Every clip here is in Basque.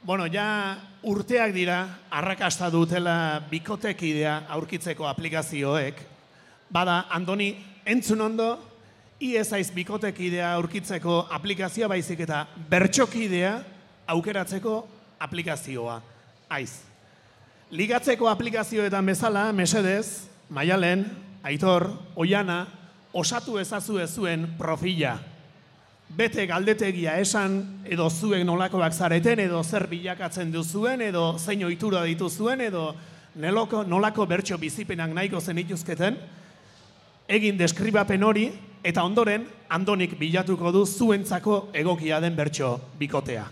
Bueno, ja urteak dira, arrakasta dutela bikotekidea aurkitzeko aplikazioek. Bada, Andoni, entzun ondo, iezaiz bikotekidea aurkitzeko aplikazioa baizik eta bertxokidea aukeratzeko aplikazioa. Aiz. Ligatzeko aplikazioetan bezala, mesedez, Maialen, Aitor, Oiana, osatu ezazue zuen profila. Bete galdetegia esan, edo zuen nolakoak zareten, edo zer bilakatzen duzuen, edo zein ohitura dituzuen, edo nolako bertso bizipenak nahiko zenituzketen, egin deskribapen hori, eta ondoren, Andonik bilatuko du zuentzako egokia den bertso bikotea.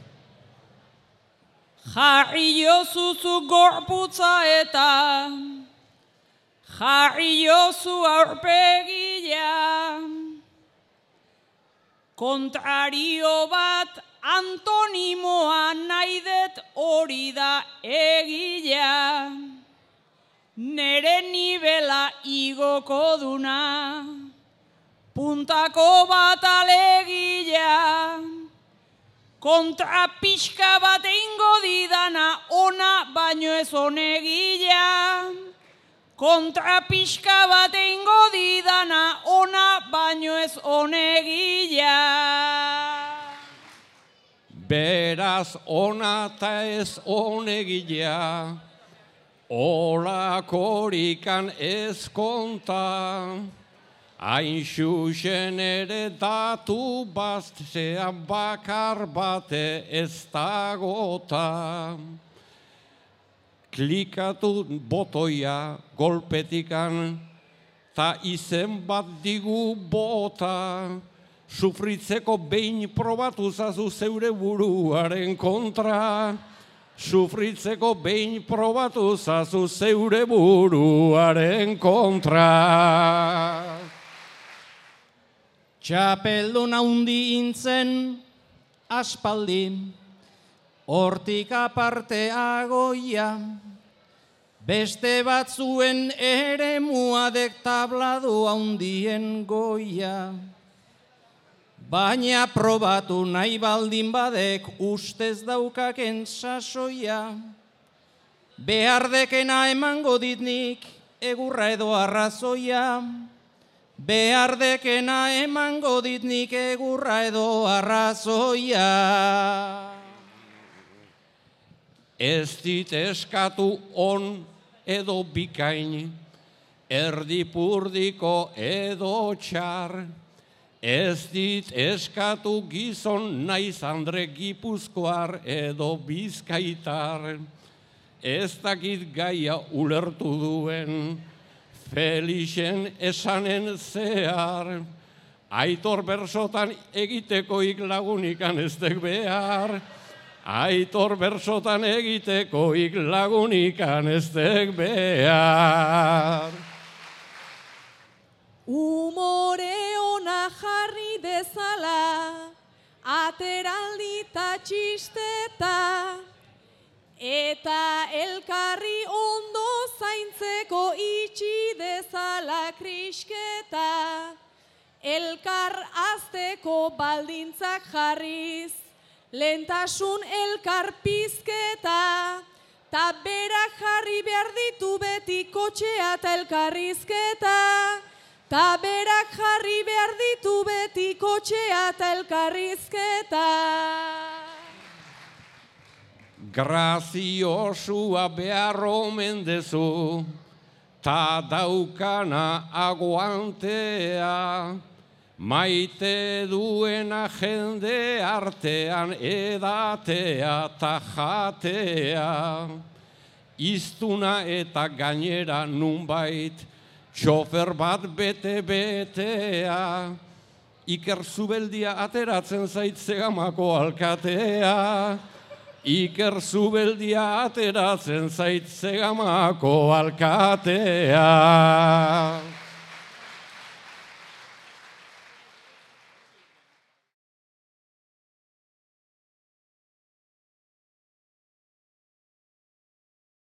Jarri jozuzu gorputza eta jarri jozu aurpegia. Kontrario bat antonimoa nahi dut hori da egia. Nere nibela igoko duna, puntako bat alegia. Kontra pixka bat eingo didana ona baino ez onegia. Kontra pixka bat eingo didana ona baino ez onegia. Beraz ona eta ez onegia, olakorikan ez konta. Hain xuxen ere datu baztean bakar bate ez dagota. Klikatu botoia golpetikan, ta izen bat digu bota. Sufritzeko behin probatu zazu zeure buruaren kontra. Sufritzeko behin probatu zazu zeure buruaren kontra. Txapeldun haundi intzen aspaldi, hortik aparte agoia, beste batzuen ere muadek tabladu haundien goia. Baina probatu nahi baldin badek ustez daukaken sasoia. Behardekena emango ditnik egurra edo arrazoia. Behardekena emango ditnik egurra edo arrazoia. Ez dit eskatu on edo bikain, erdipurdiko edo txar. Ez dit eskatu gizon naiz andre gipuzkoar edo bizkaitar. Ez dakit gaia ulertu duen, Felixen esanen zehar. Aitor bersotan egitekoik lagunikan ez dek behar. Aitor bersotan egitekoik lagunikan ez dek behar. Umore ona jarri dezala, ateraldi ta txisteta, eta elkarri ondo zaintzeko itxi dezala krisketa, elkar azteko baldintzak jarriz, lentasun elkar pizketa, ta berak jarri behar ditu beti kotxea eta elkarrizketa. Ta berak jarri behar ditu beti kotxea eta elkarrizketa. Graziosua behar omen dezu, ta daukana aguantea. Maite duena jende artean edatea ta jatea. Iztuna eta gainera nunbait, txofer bat bete-betea, Iker Zubeldia ateratzen zait Zegamako alkatea. Iker Zubeldia ateratzen zait Zegamako alkatea.